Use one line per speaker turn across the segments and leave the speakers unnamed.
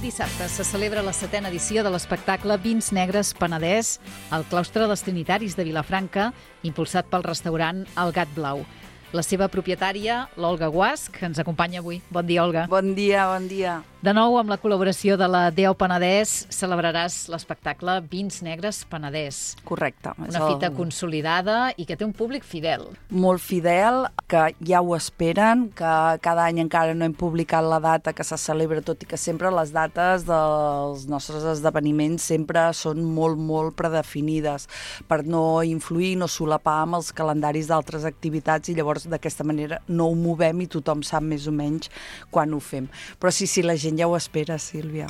dissabte se celebra la 7a edició de l'espectacle Vins Negres Penedès al claustre dels Trinitaris de Vilafranca, impulsat pel restaurant El Gat Blau. La seva propietària, l'Olga Guasch, ens acompanya avui. Bon dia, Olga.
Bon dia, bon dia.
De nou, amb la col·laboració de la DEO Penedès, celebraràs l'espectacle Vins Negres Penedès.
Correcte.
Una fita consolidada i que té un públic fidel.
Molt fidel, que ja ho esperen, que cada any encara no hem publicat la data que se celebra, tot i que sempre les dates dels nostres esdeveniments sempre són molt, molt predefinides per no influir, no solapar amb els calendaris d'altres activitats i llavors d'aquesta manera no ho movem i tothom sap més o menys quan ho fem. Però sí, la gent ja ho espera, Sílvia.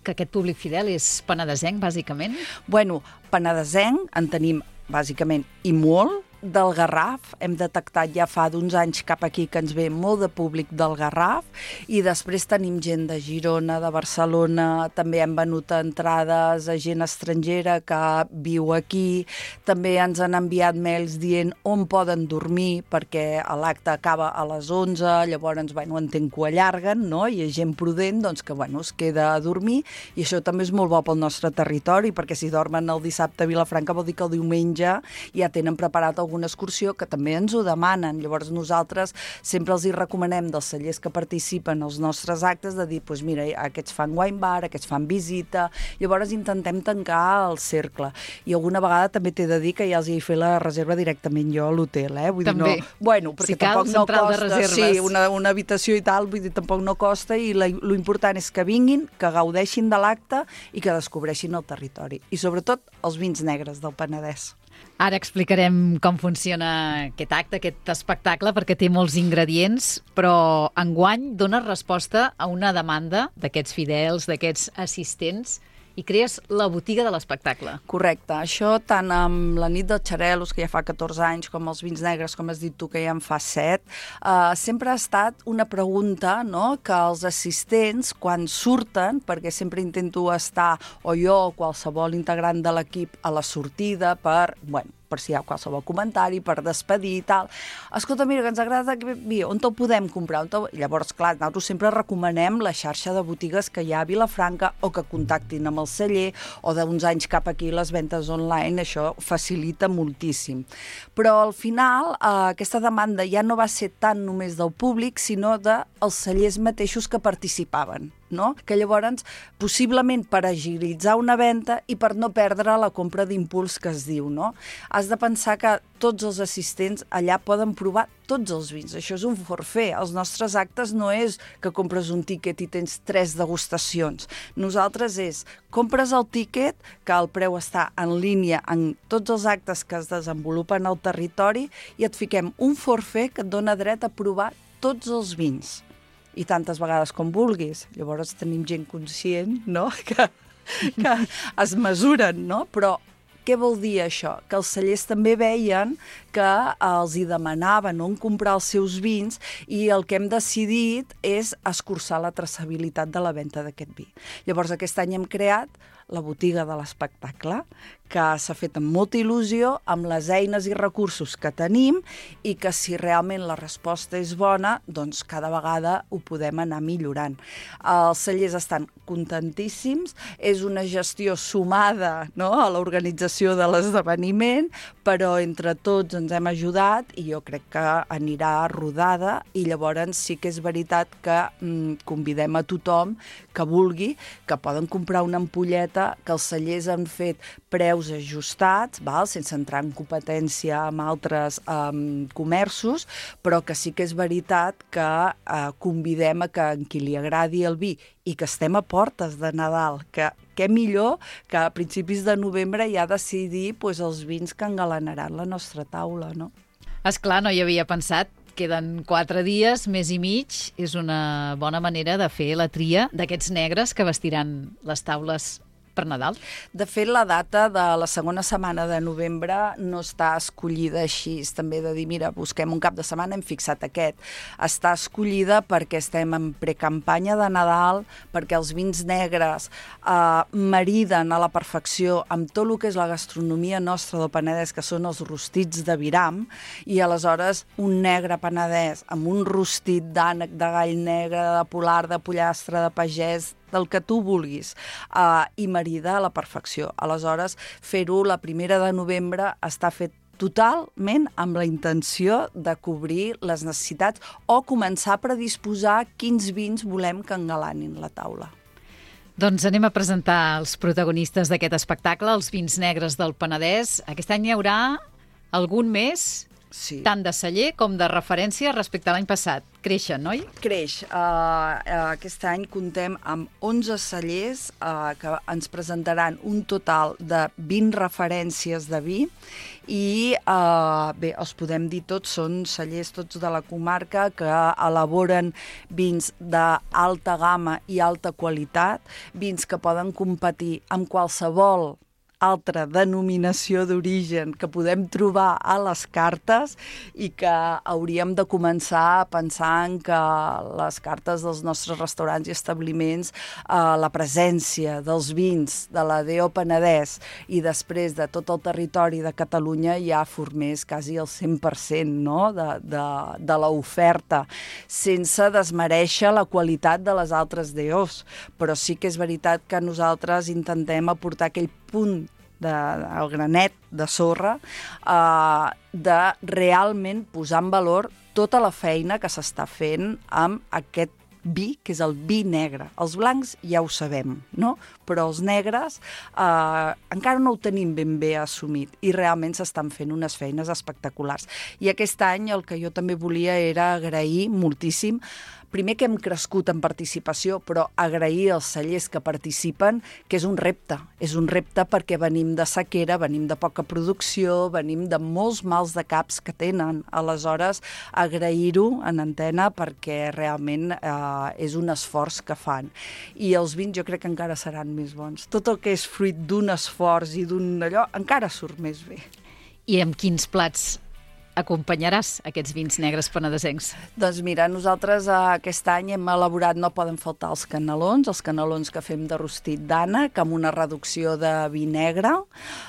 Que aquest públic fidel és penedesenc, bàsicament?
Bueno, penedesenc en tenim bàsicament i molt. Del Garraf, hem detectat ja fa d'uns anys cap aquí que ens ve molt de públic del Garraf i després tenim gent de Girona, de Barcelona, també hem venut entrades a gent estrangera que viu aquí, també ens han enviat mails dient on poden dormir perquè l'acte acaba a les 11, llavors, entenc que ho allarguen, no? I és gent prudent, doncs que, es queda a dormir i això també és molt bo pel nostre territori perquè si dormen el dissabte a Vilafranca vol dir que el diumenge ja tenen preparat alguna excursió que també ens ho demanen. Llavors nosaltres sempre els hi recomanem dels cellers que participen als nostres actes de dir, mira, aquests fan wine bar, aquests fan visita, llavors intentem tancar el cercle. I alguna vegada també t'he de dir que ja els hi he fet la reserva directament jo a l'hotel, Vull
també.
dir, perquè
si cal,
tampoc no costa,
sí,
una habitació i tal, vull dir, tampoc no costa i lo important és que vinguin, que gaudeixin de l'acte i que descobreixin el territori. I sobretot els vins negres del Penedès.
Ara explicarem com funciona aquest acte, aquest espectacle, perquè té molts ingredients, però enguany dona resposta a una demanda d'aquests fidels, d'aquests assistents, i crees la botiga de l'espectacle.
Correcte. Això tant amb la nit dels xarelos, que ja fa 14 anys, com els vins negres, com has dit tu, que ja en fa 7, sempre ha estat una pregunta, no?, que els assistents, quan surten, perquè sempre intento estar, o jo o qualsevol integrant de l'equip, a la sortida per si hi ha qualsevol comentari, per despedir i tal. Escolta, mira, que ens agrada on te'l podem comprar? Llavors, clar, nosaltres sempre recomanem la xarxa de botigues que hi ha a Vilafranca o que contactin amb el celler o d'uns anys cap aquí les ventes online, això facilita moltíssim. Però al final aquesta demanda ja no va ser tant només del públic, sinó dels cellers mateixos que participaven. No? Que llavors, possiblement per agilitzar una venda i per no perdre la compra d'impuls que es diu, no? Has de pensar que tots els assistents allà poden provar tots els vins. Això és un forfait. Els nostres actes no és que compres un tíquet i tens 3 degustacions. Nosaltres compres el tíquet, que el preu està en línia en tots els actes que es desenvolupen al territori i et fiquem un forfait que et dona dret a provar tots els vins. I tantes vegades com vulguis. Llavors tenim gent conscient, no?, que es mesuren, no? Però què vol dir això? Que els cellers també veien que els hi demanaven on comprar els seus vins i el que hem decidit és escurçar la traçabilitat de la venda d'aquest vi. Llavors aquest any hem creat la botiga de l'espectacle, que s'ha fet amb molta il·lusió, amb les eines i recursos que tenim i que si realment la resposta és bona, doncs cada vegada ho podem anar millorant. Els cellers estan contentíssims, és una gestió sumada, no?, a l'organització de l'esdeveniment, però entre tots ens hem ajudat i jo crec que anirà rodada i llavors sí que és veritat que convidem a tothom que vulgui, que poden comprar una ampolleta, que els cellers han fet preus ajustats, sense entrar en competència amb altres comerços, però que sí que és veritat que convidem a que qui li agradi el vi i que estem a portes de Nadal, que què millor que a principis de novembre ja decidir els vins que engalanaran la nostra taula, no?
Esclar, no hi havia pensat. Queden 4 dies, mes i mig. És una bona manera de fer la tria d'aquests negres que vestiran les taules per Nadal?
De fet, la data de la segona setmana de novembre no està escollida així, també de dir, mira, busquem un cap de setmana, hem fixat aquest. Està escollida perquè estem en precampanya de Nadal, perquè els vins negres mariden a la perfecció amb tot el que és la gastronomia nostra del Penedès, que són els rostits de viram, i aleshores un negre penedès amb un rostit d'ànec, de gall negre, de polar, de pollastre, de pagès, del que tu vulguis, i marida a la perfecció. Aleshores, fer-ho la 1 de novembre està fet totalment amb la intenció de cobrir les necessitats o començar a predisposar quins vins volem que engalanin la taula.
Doncs anem a presentar els protagonistes d'aquest espectacle, els vins negres del Penedès. Aquest any hi haurà algun més,
Sí.
tant de celler com de referència respecte a l'any passat. Creixen, oi?
Creix. Aquest any comptem amb 11 cellers que ens presentaran un total de 20 referències de vi i, bé, els podem dir tots, són cellers tots de la comarca que elaboren vins d'alta gamma i alta qualitat, vins que poden competir amb qualsevol altra denominació d'origen que podem trobar a les cartes i que hauríem de començar a pensar en que les cartes dels nostres restaurants i establiments, la presència dels vins de la DO Penedès i després de tot el territori de Catalunya ja formés quasi el 100%, no? de l'oferta, sense desmereixer la qualitat de les altres DOs. Però sí que és veritat que nosaltres intentem aportar aquell punt el granet de sorra, de realment posar en valor tota la feina que s'està fent amb aquest vi, que és el vi negre. Els blancs ja ho sabem, no? Però els negres encara no ho tenim ben bé assumit i realment s'estan fent unes feines espectaculars. I aquest any el que jo també volia era agrair moltíssim, primer que hem crescut en participació, però agrair als cellers que participen, que és un repte perquè venim de sequera, venim de poca producció, venim de molts mals de caps que tenen. Aleshores, agrair-ho en antena perquè realment és un esforç que fan. I els vins jo crec que encara seran més bons. Tot el que és fruit d'un esforç i d'un allò encara surt més bé.
I amb quins plats acompanyaràs aquests vins negres penedesencs?
Doncs mira, nosaltres aquest any hem elaborat, no poden faltar els canelons que fem de rostit d'ànec, amb una reducció de vi negre,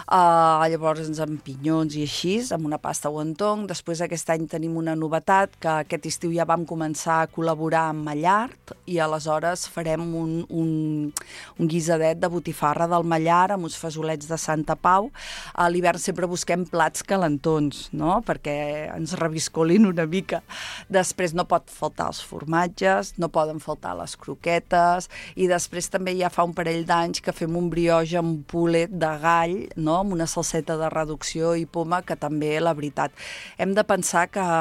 llavors amb pinyons i així, amb una pasta wonton. Després aquest any tenim una novetat, que aquest estiu ja vam començar a col·laborar amb Mallard, i aleshores farem un guisadet de botifarra del Mallard amb uns fesolets de Santa Pau. A l'hivern sempre busquem plats calentons, no?, perquè ens reviscolin una mica. Després no pot faltar els formatges, no poden faltar les croquetes, i després també ja fa un parell d'anys que fem un brioche amb poulet de gall, no?, amb una salseta de reducció i poma, que també, la veritat, hem de pensar que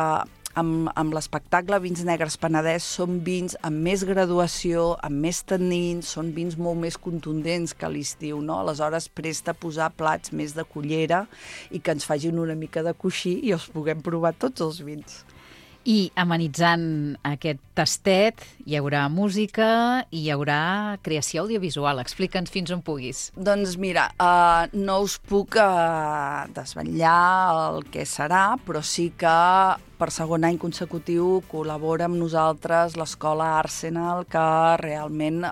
amb l'espectacle Vins Negres Penedès són vins amb més graduació, amb més tannins, són vins molt més contundents que a l'estiu, no? Aleshores presta a posar plats més de cullera i que ens facin una mica de coixí i els puguem provar tots els vins.
I amenitzant aquest tastet hi haurà música i hi haurà creació audiovisual. Explica'ns fins on puguis.
Doncs mira, no us puc desvetllar el que serà, però sí que per segon any consecutiu col·labora amb nosaltres l'Escola Arsenal, que realment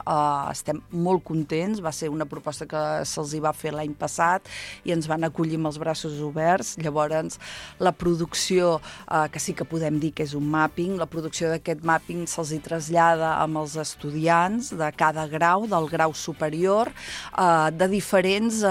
estem molt contents. Va ser una proposta que se'ls va fer l'any passat i ens van acollir amb els braços oberts. Llavors, la producció, que sí que podem dir que és un mapping, la producció d'aquest mapping se'ls trasllada amb els estudiants de cada grau, del grau superior, de diferents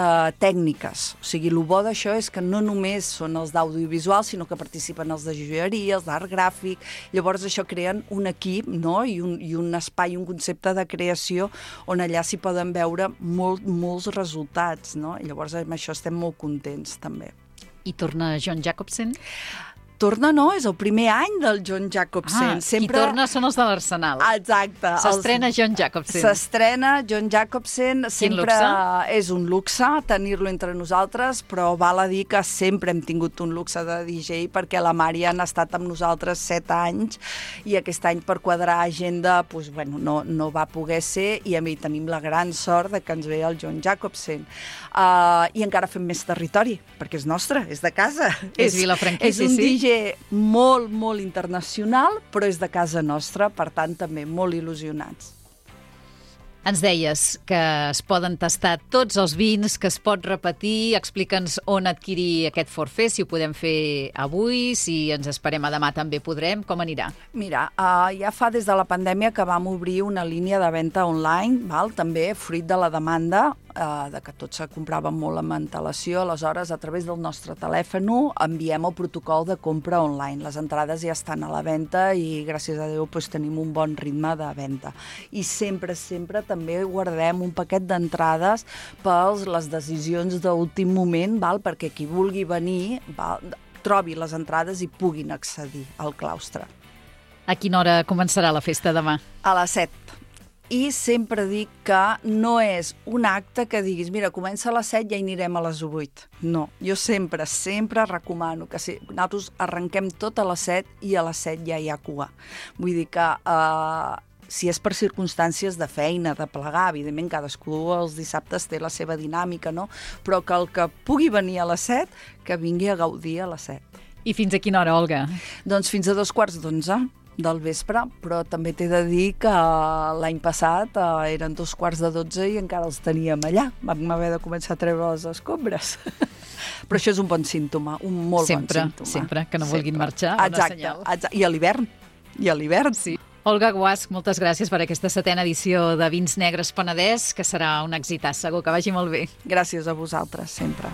tècniques. O sigui, el bo d'això és que no només són els d'audiovisual, sinó que participen els de joieria, els d'art gràfic. Llavors això creen un equip, no?, i un espai, un concepte de creació on allà s'hi poden veure molts resultats, no? I llavors amb això estem molt contents també.
I torna John Jacobsen?
Torna, no, és el primer any del John Jacobsen.
Qui torna són els de l'Arsenal.
Exacte.
S'estrena John Jacobsen.
S'estrena John Jacobsen. Sempre és un luxe tenir-lo entre nosaltres, però val a dir que sempre hem tingut un luxe de DJ, perquè la Marian ha estat amb nosaltres 7 anys i aquest any per quadrar agenda no va poder ser, i a mi tenim la gran sort de que ens ve el John Jacobsen. I encara fem més territori, perquè és nostre, és de casa.
És Vilafranquí,
és un DJ molt, molt internacional, però és de casa nostra, per tant, també molt il·lusionats.
Ens deies que es poden tastar tots els vins, que es pot repetir. Explica'ns on adquirir aquest forfait, si ho podem fer avui, si ens esperem a demà també podrem. Com anirà?
Mira, ja fa des de la pandèmia que vam obrir una línia de venda online, també fruit de la demanda, de que tot se comprava molt amb antelació. Aleshores, a través del nostre telèfon enviem el protocol de compra online. Les entrades ja estan a la venda i, gràcies a Déu, tenim un bon ritme de venda. I sempre també guardem un paquet d'entrades per les decisions d'últim moment, perquè qui vulgui venir trobi les entrades i puguin accedir al claustre.
A quina hora començarà la festa demà?
A les 7. I sempre dic que no és un acte que diguis, mira, comença a les 7 i ja hi anirem a les 8. No, jo sempre recomano que nosaltres arrenquem tot a les 7 i a les 7 ja hi ha cua. Vull dir que si és per circumstàncies de feina, de plegar, evidentment cadascú els dissabtes té la seva dinàmica, no? Però que el que pugui venir a les 7, que vingui a gaudir a les 7.
I fins a quina hora, Olga?
Doncs fins a 2:15 del vespre, però també t'he de dir que l'any passat eren 2:45 i encara els teníem allà. Vam haver de començar a treure les escombres. Però això és un bon símptoma, un molt bon símptoma.
Sempre, que no vulguin marxar.
Exacte. I a l'hivern.
Sí. Olga Guasch, moltes gràcies per aquesta 7a edició de Vins Negres Penedès, que serà un èxit, segur que vagi molt bé.
Gràcies a vosaltres, sempre.